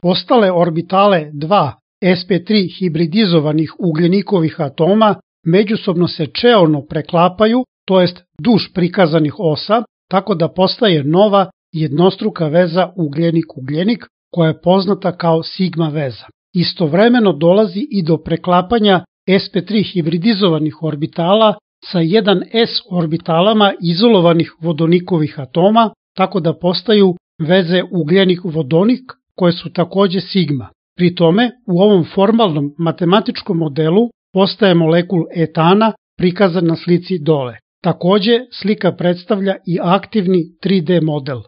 Ostale orbitale 2 sp3 hibridizovanih ugljenikovih atoma međusobno se čeono preklapaju, to jest duž prikazanih osa, tako da postaje nova jednostruka veza ugljenik-ugljenik koja je poznata kao sigma veza. Istovremeno dolazi i do preklapanja sp3 hibridizovanih orbitala sa 1s orbitalama izolovanih vodonikovih atoma, tako da postaju veze ugljenik-vodonik koje su takođe sigma. Pri tome, u ovom formalnom matematičkom modelu postaje molekul etana prikazan na slici dole. Takođe, slika predstavlja i aktivni 3D model.